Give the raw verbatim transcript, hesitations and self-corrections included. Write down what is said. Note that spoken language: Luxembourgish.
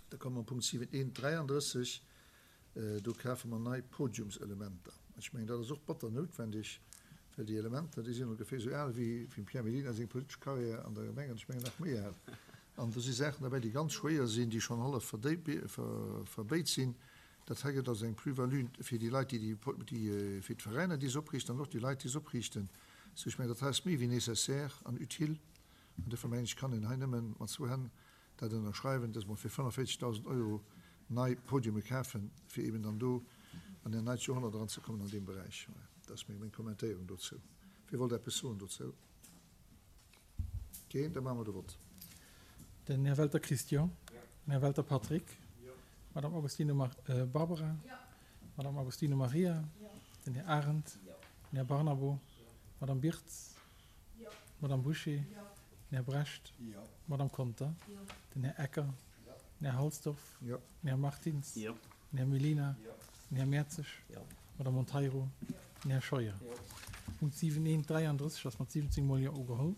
Da komme mer Punkt siwen eent dräiandrësseg. Do kafe mer nei Podiumselementer. Ech mengen, dat ass och batter noutwendeg, well déi Elementer, déi sinn ongeféier esou al wéi dem Pierre Mellina seng politesch Carrière an der Gemeng, an ech mengen nach méi al. An do si Saachen derbäi, déi ganz schwéier sinn, déi schonn hallef verbéit sinn. Dat hei gëtt also eng Plus-value fir déi Leit, déi déi, fir d'Veräiner, déi se opriichten, an och déi Leit, déi se opriichten. Sou, ech mengen, dat hei ass méi wéi nécessaire an utile. An duerfir mengen ech, kann een hei nëmme mat zwou Hänn dat ënnerschreiwen, dass mer fir fënnefvéierzegdausend Euro nei Podiume kafen, fir eben dann do an en neit Joerhonnert eranzekommen an deem Beräich. Dat ass meng Kommentéierung dozou. Wie wollt eppes soen dozou? Keen? Da maache mer de Vott. Den Här Welter Christian. Den Här Welter Patrick. D'Madame Agostino Barbara. D'Madame Agostino Maria. Den Här Arendt. Den Här Barnabo. D'Madame Birtz. D'Madame Bouché. Den Här Brecht. D'Madame Conter. Den Här Ecker. Den Här Halsdorf. Den Här Martins. Den Här Mellina. Den Här Mertzig. D'Madame Monteiro. Den Här Scheuer. Punkt siwen eent dräiandrësseg ass mat siwwenzéng Mol Jo ugeholl.